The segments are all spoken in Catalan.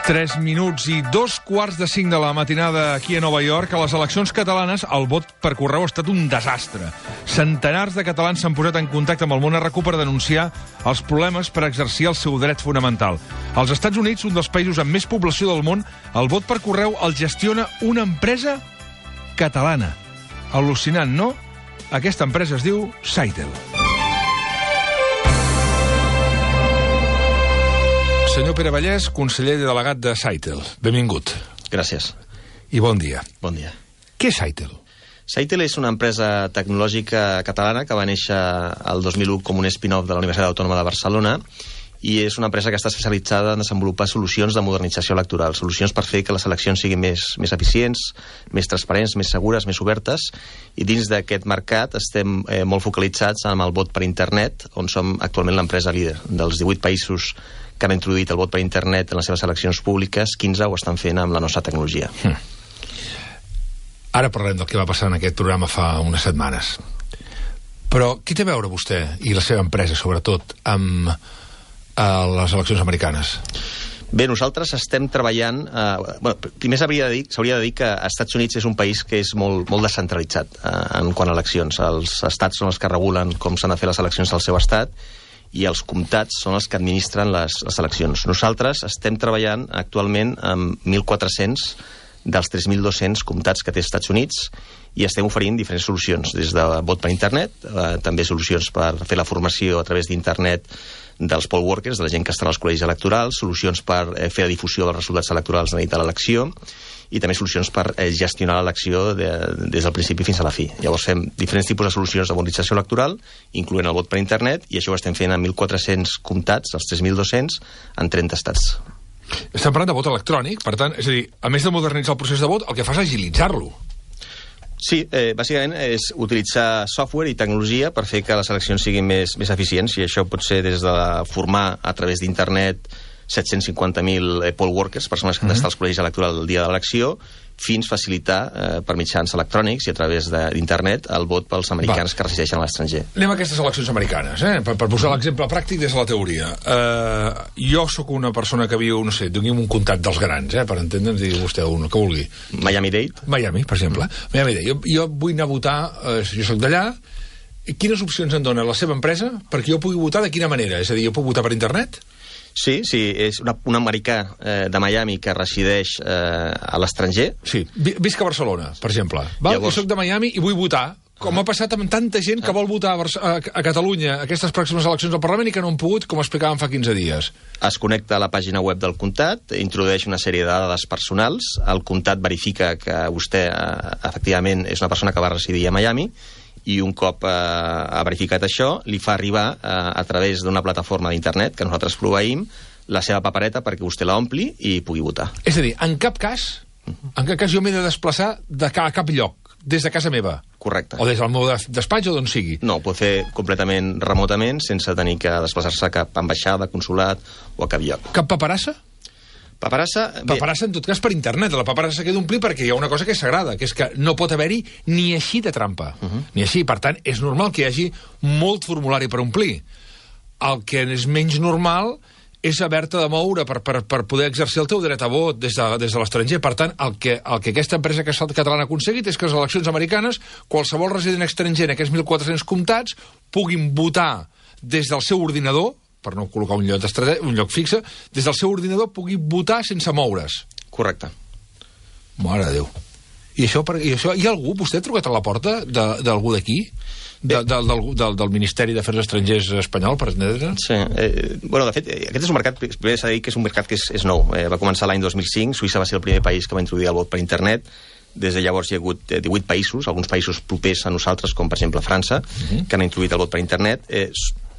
3 minuts i 2:45 de la matinada aquí a Nova York. A les eleccions catalanes, el vot per correu ha estat un desastre. Centenars de catalans s'han posat en contacte amb el món RQ per denunciar els problemes per exercir el seu dret fonamental. Als Estats Units, un dels països amb més població del món, el vot per correu el gestiona una empresa catalana. Al·lucinant, no? Aquesta empresa es diu Sitel. Senyor Pere Vallès, conseller delegat de Sitel. Benvingut. Gràcies. I bon dia. Bon dia. Què és Sitel? Sitel és una empresa tecnològica catalana que va néixer el 2001 com un spin-off de la Universitat Autònoma de Barcelona i és una empresa que està especialitzada en desenvolupar solucions de modernització electoral, solucions per fer que les eleccions siguin més eficients, més transparents, més segures, més obertes, i dins d'aquest mercat estem molt focalitzats en el vot per internet, on som actualment l'empresa líder. Dels 18 països que han introduït el vot per internet en les seves eleccions públiques, 15 ho estan fent amb la nostra tecnologia. Ara parlem del que va passar en aquest programa fa unes setmanes. Però què té a veure vostè i la seva empresa, sobretot, amb les eleccions americanes? Bé, nosaltres estem treballant... primer s'hauria de dir que els Estats Units és un país que és molt descentralitzat en quant a eleccions. Els estats són els que regulen com s'han de fer les eleccions al seu estat i els comtats són els que administren les eleccions. Nosaltres estem treballant actualment amb 1.400 dels 3.200 comtats que té els Estats Units i estem oferint diferents solucions, des de vot per internet, també solucions per fer la formació a través d'internet dels poll workers, de la gent que està als col·legis electorals, solucions per fer la difusió dels resultats electorals a la nit de l'elecció i també solucions per gestionar l'elecció des del principi fins a la fi. Llavors fem diferents tipus de solucions de modernització electoral, incloent el vot per internet, i això ho estem fent en 1.400 comtats, els 3.200, en 30 estats. Estem parlant de vot electrònic, per tant, és a dir, a més de modernitzar el procés de vot, el que fa és agilitzar-lo. Sí, bàsicament és utilitzar software i tecnologia per fer que les eleccions siguin més eficients, i això pot ser des de formar a través d'internet 750.000 poll workers, persones que han d'estar als col·legis electorals el dia de l'elecció, fins facilitar per mitjans electrònics i a través d'internet el vot pels americans que resideixen a l'estranger. Anem a aquestes eleccions americanes, per posar l'exemple pràctic des de la teoria. Jo sóc una persona que viu, no sé, diguem un comtat dels grans, per entendre'ns, digui vostè un, que vulgui. Miami-Dade. Miami, per exemple. Miami-Dade. Jo vull anar a votar, jo soc d'allà. Quines opcions em dona la seva empresa perquè jo pugui votar de quina manera? És a dir, jo puc votar per internet? Sí, és un americà de Miami que resideix a l'estranger. Sí, visc a Barcelona, per exemple. Jo soc de Miami i vull votar, com ha passat amb tanta gent que vol votar a Catalunya aquestes pròximes eleccions al Parlament i que no han pogut, com explicàvem fa 15 dies. Es connecta a la pàgina web del comtat, introdueix una sèrie de dades personals, el comtat verifica que vostè efectivament és una persona que va residir a Miami, i un cop ha verificat això, li fa arribar a través d'una plataforma d'internet que nosaltres proveïm la seva papereta perquè vostè la ompli i pugui votar. És a dir, en cap cas jo m'he de desplaçar a cap lloc, des de casa meva. Correcte. O des del meu despatx o d'on sigui. No, ho pot fer completament remotament sense tenir que desplaçar-se a cap ambaixada, consulat o a cap lloc. Cap paperassa? Paperassa, en tot cas per internet. La paperassa s'ha d'omplir perquè hi ha una cosa que és sagrada, que és que no pot haver-hi ni així de trampa. Ni així. Per tant, és normal que hi hagi molt formulari per omplir. El que és menys normal és haver-te de moure per poder exercir el teu dret a vot des de l'estranger. Per tant, el que aquesta empresa catalana ha aconseguit és que les eleccions americanes, qualsevol resident estranger en aquests 1.400 comtats puguin votar des del seu ordinador, per no col·locar un lloc fixe, des del seu ordinador pugui votar sense moure's. Correcte. Mare de Déu. I això, hi ha algú? Vostè ha trucat a la porta d'algú d'aquí? Del Ministeri d'Afers Estrangers espanyol, per entendre? Sí. De fet, aquest és un mercat, primer s'ha de dir que és un mercat que és nou. Va començar l'any 2005, Suïssa va ser el primer país que va introduir el vot per internet. Des de llavors hi ha hagut 18 països, alguns països propers a nosaltres, com per exemple França, que han introduït el vot per internet.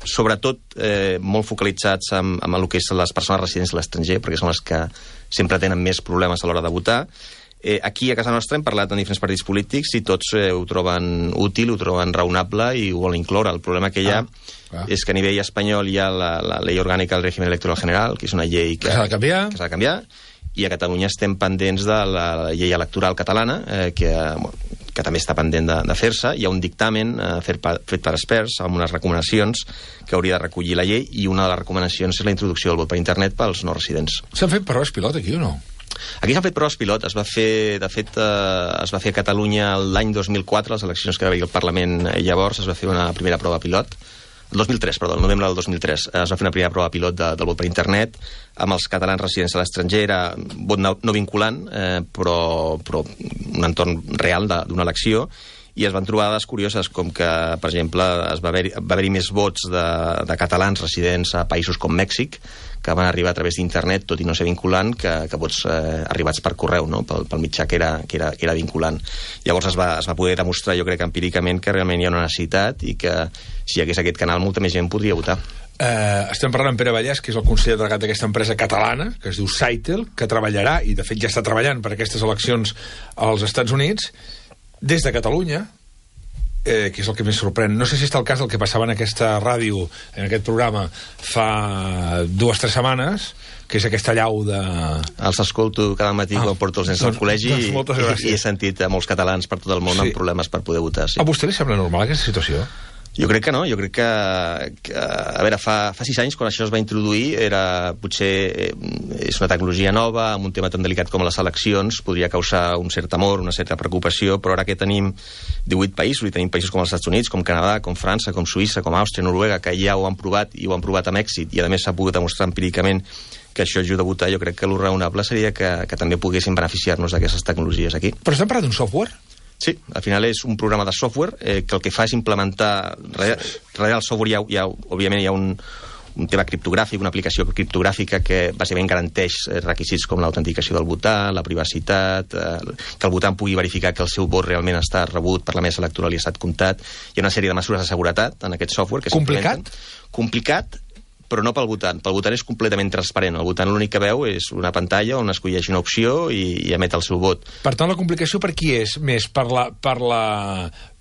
Sobretot molt focalitzats amb el que és les persones residents a l'estranger, perquè són les que sempre tenen més problemes a l'hora de votar. Aquí a casa nostra hem parlat amb diferents partits polítics i tots ho troben útil, ho troben raonable i ho volen incloure. El problema que hi ha és que a nivell espanyol hi ha la Llei Orgànica del Régimen Electoral General, que és una llei que s'ha de canviar, i a Catalunya estem pendents de la llei electoral catalana, que que també està pendent de fer-se. Hi ha un dictamen fet per experts amb unes recomanacions que hauria de recollir la llei, i una de les recomanacions és la introducció del vot per internet pels no residents. S'han fet proves pilot aquí o no? Aquí s'han fet proves pilot. Es va fer a Catalunya l'any 2004, les eleccions que va haver al Parlament llavors, es va fer una primera prova pilot. El 2003, perdó, el novembre del 2003 es va fer una primera prova pilot del vot per internet amb els catalans residents a l'estranger. Era vot no vinculant, però un entorn real d'una elecció, i es van trobar dades curioses, com que, per exemple, va haver-hi més vots de catalans residents a països com Mèxic, que van arribar a través d'internet, tot i no ser vinculant, que vots arribats per correu, no? pel mitjà que era vinculant. Llavors es va poder demostrar, jo crec, empíricament, que realment hi ha una necessitat i que si hi hagués aquest canal molta més gent podria votar. Estem parlant amb Pere Vallès, que és el conseller delegat d'aquesta empresa catalana, que es diu Sitel, que treballarà, i de fet ja està treballant per aquestes eleccions als Estats Units, des de Catalunya, que és el que més sorprèn. No sé si està el cas del que passava en aquesta ràdio, en aquest programa, fa 2 o 3 setmanes, que és aquesta llau de... Els escolto cada matí quan porto els nens al col·legi, i he sentit a molts catalans per tot el món amb problemes per poder votar. Sí. A vostè li sembla normal aquesta situació? Jo crec que no, jo crec que a veure, fa 6 anys, quan això es va introduir, potser és una tecnologia nova, amb un tema tan delicat com les eleccions, podria causar un cert temor, una certa preocupació, però ara que tenim 18 països, i tenim països com els Estats Units, com Canadà, com França, com Suïssa, com Àustria, Noruega, que ja ho han provat, i ho han provat amb èxit, i a més s'ha pogut demostrar empíricament que això ajuda a votar, jo crec que el raonable seria que també poguessin beneficiar-nos d'aquestes tecnologies aquí. Però estem parlant d'un software? Sí, al final és un programa de software que el que fa és implementar... Darrere del software òbviament hi ha un tema criptogràfic, una aplicació criptogràfica que bàsicament garanteix requisits com l'autenticació del votant, la privacitat, que el votant pugui verificar que el seu vot realment està rebut per la mesa electoral i ha estat comptat. Hi ha una sèrie de mesures de seguretat en aquest software que complicat? Complicat, però no pel votant. Pel votant és completament transparent. El votant l'únic que veu és una pantalla on escolleix una opció i emet el seu vot. Per tant, la complicació per qui és? Més per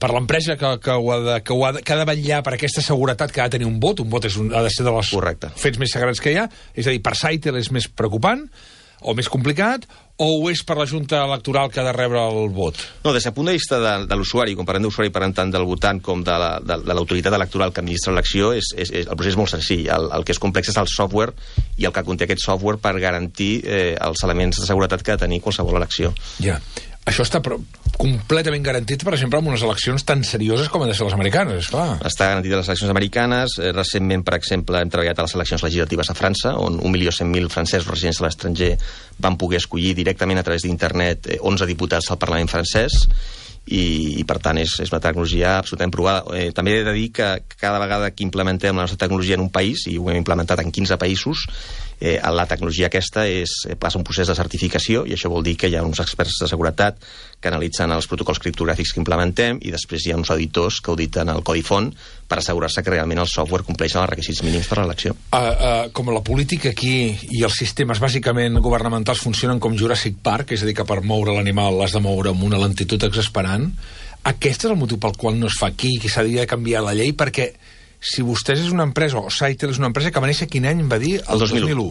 l'empresa que ha de vetllar per aquesta seguretat que ha de tenir un vot. Un vot ha de ser dels fets més sagrats que hi ha. És a dir, per Sitel és més preocupant o més complicat, o ho és per la Junta Electoral que ha de rebre el vot? No, des del punt de vista de l'usuari, quan parlem d'usuari, parlem tant del votant com de l'autoritat electoral que administra l'elecció, el procés és molt senzill. El que és complex és el software i el que conté aquest software per garantir els elements de seguretat que ha de tenir qualsevol elecció. Ja. Això està completament garantit, per exemple, en unes eleccions tan serioses com han de ser les americanes, esclar. Està garantit a les eleccions americanes. Recentment, per exemple, hem treballat a les eleccions legislatives a França, on 1.100.000 francesos residents a l'estranger van poder escollir directament a través d'internet 11 diputats al Parlament francès, i per tant és una tecnologia absolutament provada. També he de dir que cada vegada que implementem la nostra tecnologia en un país, i ho hem implementat en 15 països, la tecnologia aquesta passa un procés de certificació, i això vol dir que hi ha uns experts de seguretat que analitzen els protocols criptogràfics que implementem, i després hi ha uns auditors que auditen el codi font per assegurar-se que realment el software compleix els requisits mínims per a l'elecció. Com la política aquí i els sistemes bàsicament governamentals funcionen com Jurassic Park, és a dir, que per moure l'animal l'has de moure amb una lentitud exasperant, aquest és el motiu pel qual no es fa aquí, que s'hauria de canviar la llei, perquè si vostès és una empresa, o Sitel és una empresa que va néixer quin any, va dir? El 2001.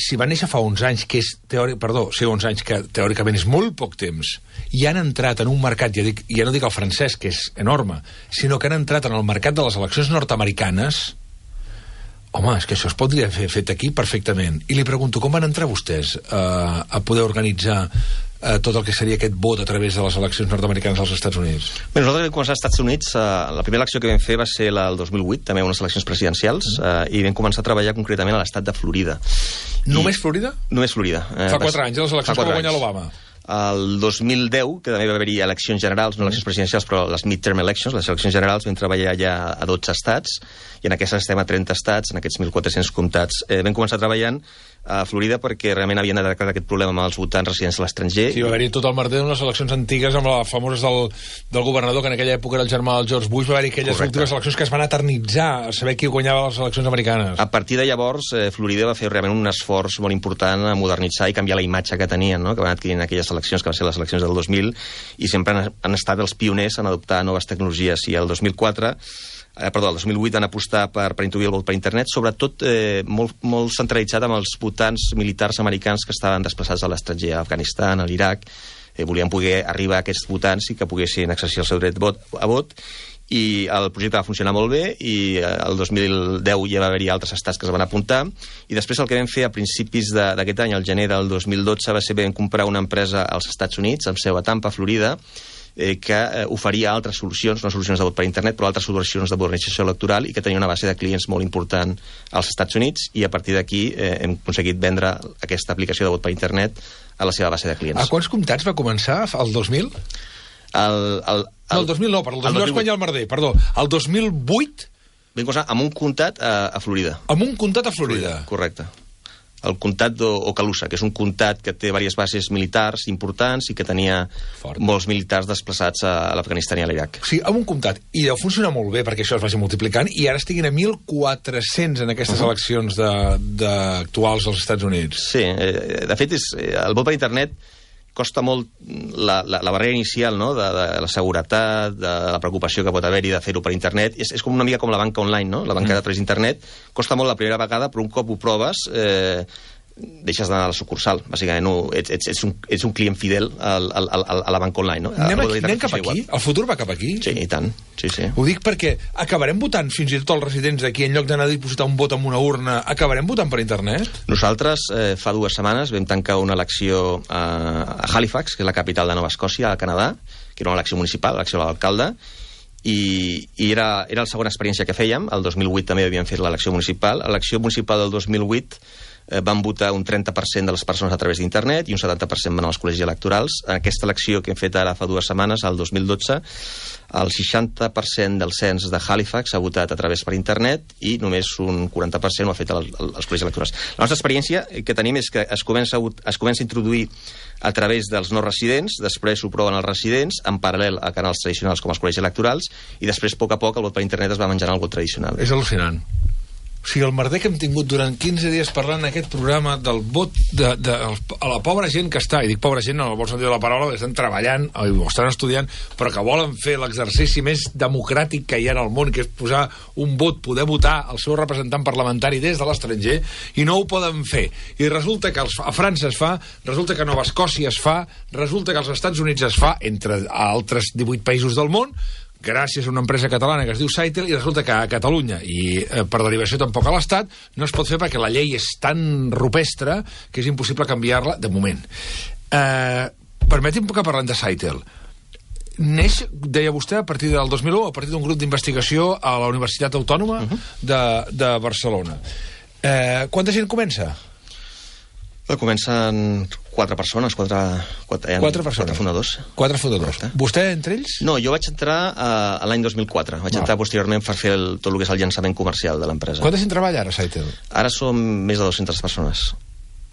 Si va néixer fa 11 anys, que és 11 anys, que teòricament és molt poc temps, i han entrat en un mercat, ja no dic el francès, que és enorme, sinó que han entrat en el mercat de les eleccions nord-americanes, home, és que això es podria haver fet aquí perfectament. I li pregunto, com van entrar vostès a poder organitzar tot el que seria aquest vot a través de les eleccions nord-americanes als Estats Units? Bé, nosaltres vam començar als Estats Units. La primera elecció que vam fer va ser la del 2008, també unes eleccions presidencials, i vam començar a treballar concretament a l'estat de Florida. Només Florida? Només Florida. Fa 4 anys, les eleccions que va guanyar l'Obama. El 2010, que també va haver-hi eleccions generals, no eleccions presidencials, però les midterm elections, les eleccions generals, vam treballar ja a 12 estats, i en aquestes estem a 30 estats, en aquests 1.400 comtats. Vam començar treballant a Florida perquè realment havien detectat aquest problema amb els votants residents a l'estranger. Sí, va haver-hi tot el merder en les eleccions antigues amb les famoses del governador, que en aquella època era el germà del George Bush. Va haver-hi aquelles últimes eleccions que es van eternitzar a saber qui guanyava les eleccions americanes. A partir de llavors, Florida va fer realment un esforç molt important a modernitzar i canviar la imatge que tenien, no? Que van adquirir en aquelles eleccions, que van ser les eleccions del 2000, i sempre han estat els pioners en adoptar noves tecnologies. I el 2008 van apostar per introduir el vot per internet, sobretot molt centralitzat amb els votants militars americans que estaven desplaçats a l'estranger, a Afganistan, a l'Iraq, volien poder arribar a aquests votants i que poguessin exercir el seu dret a vot, i el projecte va funcionar molt bé, i el 2010 ja va haver-hi altres estats que es van apuntar, i després el que vam fer a principis d'aquest any, al gener del 2012, va ser vam comprar una empresa als Estats Units, amb seu a Tampa, Florida, que oferia altres solucions, no solucions de vot per internet, però altres solucions de modernització electoral, i que tenia una base de clients molt important als Estats Units, i a partir d'aquí hem aconseguit vendre aquesta aplicació de vot per internet a la seva base de clients. A quants comtats va començar el 2000? El 2000 no, el 2000 és quan hi ha el merder, perdó. El 2008... Vam començar amb un comtat a Florida. Amb un comtat a Florida? Correcte. El comtat d'Okaloosa, que és un comtat que té diverses bases militars importants i que tenia molts militars desplaçats a l'Afganistan i a l'Iraq. Sí, amb un comtat. I deu funcionar molt bé perquè això es vagi multiplicant, i ara estiguin a 1.400 en aquestes eleccions actuals als Estats Units. Sí, de fet, el vot per internet costa molt la barrera inicial, no?, de la seguretat, de la preocupació que pot haver-hi de fer-ho per internet. És com una mica com la banca online, no?, la banca a través d'internet. Costa molt la primera vegada, però un cop ho proves deixes d'anar a la sucursal, bàsicament. Ets un client fidel a la banca online, no? Anem cap aquí? El futur va cap aquí? Sí, i tant. Sí. Ho dic perquè acabarem votant, fins i tot els residents d'aquí, en lloc d'anar a dipositar un vot en una urna, acabarem votant per internet? Nosaltres, fa 2 setmanes, vam tancar una elecció a Halifax, que és la capital de Nova Escòcia, al Canadà, que era una elecció municipal, l'elecció de l'alcalde, i era la segona experiència que fèiem. El 2008 també havíem fet l'elecció municipal. A l'elecció municipal del 2008 van votar un 30% de les persones a través d'internet i un 70% van als col·legis electorals. En aquesta elecció que hem fet ara fa 2 setmanes, el 2012, el 60% del cens de Halifax ha votat a través per internet i només un 40% ho ha fet als col·legis electorals. La nostra experiència que tenim és que es comença a introduir a través dels no residents, després ho proven els residents, en paral·lel a canals tradicionals com els col·legis electorals, i després, a poc, el vot per internet es va menjant el vot tradicional. És al·lucinant. O sigui, el merder que hem tingut durant 15 dies parlant en aquest programa del vot a la pobra gent que està, i dic pobra gent en el bon sentit de la paraula, que estan treballant o estan estudiant, però que volen fer l'exercici més democràtic que hi ha en el món, que és posar un vot, poder votar el seu representant parlamentari des de l'estranger, i no ho poden fer. I resulta que a França es fa, resulta que a Nova Escòcia es fa, resulta que als Estats Units es fa, entre altres 18 països del món, gràcies a una empresa catalana que es diu Saitel, i resulta que a Catalunya, i per derivació tampoc a l'Estat, no es pot fer perquè la llei és tan rupestre que és impossible canviar-la de moment. Permeti'm que parlem de Saitel. Neix, deia vostè, a partir del 2001, a partir d'un grup d'investigació a la Universitat Autònoma de Barcelona. Quanta gent comença? Comencen 4 persones, 4 fundadors. 4 fundadors. Vostè entre ells? No, jo vaig entrar l'any 2004. Vaig entrar posteriorment per fer tot el que és el llançament comercial de l'empresa. Quanta gent treballa ara a Saitel? Ara som més de 200 persones.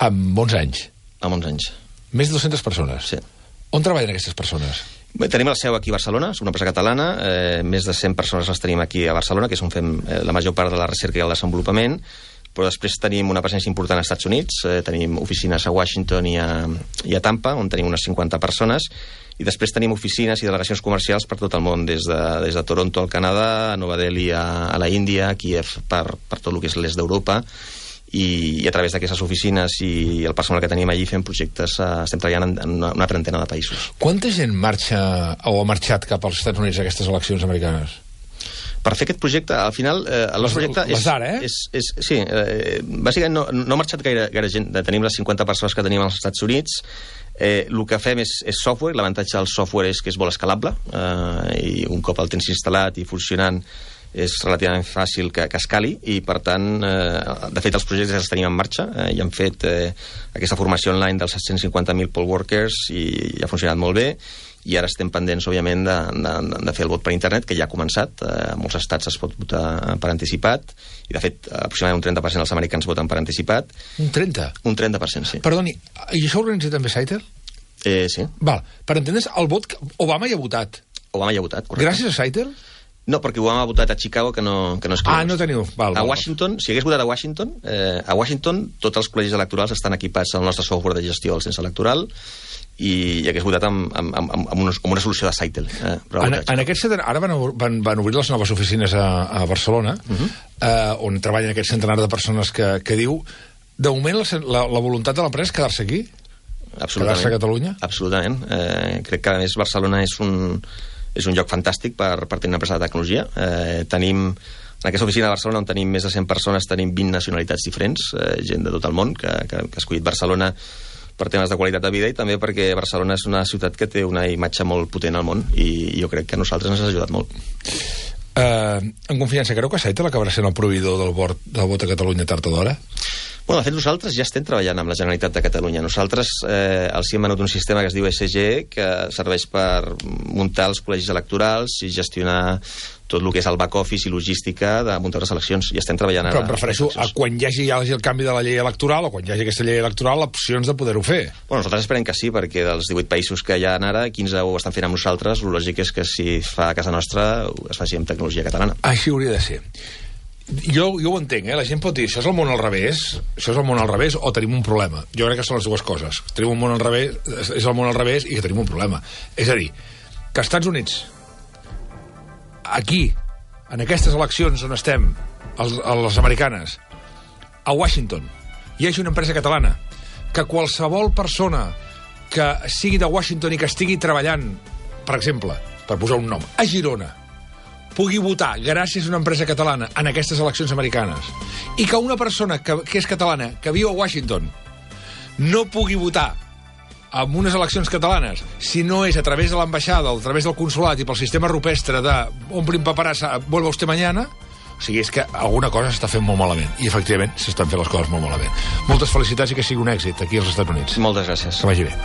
Amb 11 anys? Amb 11 anys. Més de 200 persones? Sí. On treballen aquestes persones? Bé, tenim la seu aquí a Barcelona, és una empresa catalana, més de 100 persones les tenim aquí a Barcelona, que és on fem la major part de la recerca i el desenvolupament, però després tenim una presència important als Estats Units, tenim oficines a Washington i a Tampa, on tenim unes 50 persones, i després tenim oficines i delegacions comercials per tot el món, des de Toronto al Canadà, a Nova Delhi a la Índia, a Kiev per tot el que és l'est d'Europa, i a través d'aquestes oficines i el personal que tenim allí fem projectes, estem treballant en una trentena de països. Quanta gent marxa o ha marxat cap als Estats Units a aquestes eleccions americanes? Per fer aquest projecte, al final, el nostre projecte sí, bàsicament no ha marxat gaire gent. Tenim les 50 persones que tenim als Estats Units. El que fem és software. L'avantatge del software és que és molt escalable, i un cop el tens instal·lat i funcionant és relativament fàcil que escali, i per tant, de fet, els projectes els tenim en marxa, i hem fet aquesta formació online dels 750.000 poll workers i ha funcionat molt bé, i ara estem pendents, òbviament, de fer el vot per internet, que ja ha començat. A molts estats es pot votar per anticipat, i de fet, aproximadament un 30% dels americans voten per anticipat. Un 30%? Un 30%, sí. Perdoni, i això ho organitza també Saitel? Sí. Val, per entendre's, el vot... Obama hi ha votat. Obama hi ha votat, correcte. Gràcies a Saitel? No, perquè Obama ha votat a Chicago, que no és clar. No teniu... A Washington, si hagués votat a Washington, tots els col·legis electorals estan equipats al nostre software de gestió del cens electoral, i hagués votat amb una solució de Saitel. En aquest centre, ara van obrir les noves oficines a Barcelona, on treballen aquest centenar de persones que diu. De moment, la voluntat de l'empresa és quedar-se aquí? quedar-se a Catalunya? Absolutament. Crec que, a més, Barcelona és un lloc fantàstic per tenir una empresa de tecnologia. Tenim, en aquesta oficina de Barcelona, on tenim més de 100 persones, tenim 20 nacionalitats diferents, gent de tot el món, que ha escollit Barcelona per temes de qualitat de vida i també perquè Barcelona és una ciutat que té una imatge molt potent al món i jo crec que a nosaltres ens ha ajudat molt. En confiança, creu que Saitel acabarà sent el proveïdor del vot a Catalunya tard o d'hora? Bueno, de fet, nosaltres ja estem treballant amb la Generalitat de Catalunya. Nosaltres els hem venut un sistema que es diu ESG, que serveix per muntar els col·legis electorals i gestionar tot el que és el back-office i logística de muntar les eleccions. I estem treballant ara. Però em refereixo a quan hi hagi el canvi de la llei electoral o quan hi hagi aquesta llei electoral, opcions de poder-ho fer. Bueno, nosaltres esperem que sí, perquè dels 18 països que hi ha ara, 15 ho estan fent amb nosaltres. El lògic és que si es fa a casa nostra es faci amb tecnologia catalana. Així hauria de ser. Jo ho entenc, la gent pot dir, això és el món al revés, o tenim un problema. Jo crec que són les dues coses. Tenim un món al revés, és el món al revés, i que tenim un problema. És a dir, que als Estats Units, aquí, en aquestes eleccions on estem, les americanes, a Washington, hi hagi una empresa catalana, que qualsevol persona que sigui de Washington i que estigui treballant, per exemple, per posar un nom, a Girona, pugui votar gràcies a una empresa catalana en aquestes eleccions americanes i que una persona que és catalana, que viu a Washington, no pugui votar en unes eleccions catalanes si no és a través de l'ambaixada o a través del consolat i pel sistema rupestre de omplin paperassa, vuelva usted mañana. O sigui, és que alguna cosa s'està fent molt malament i efectivament s'estan fent les coses molt malament. Moltes felicitats i que sigui un èxit aquí als Estats Units. Moltes gràcies. Que vagi bé.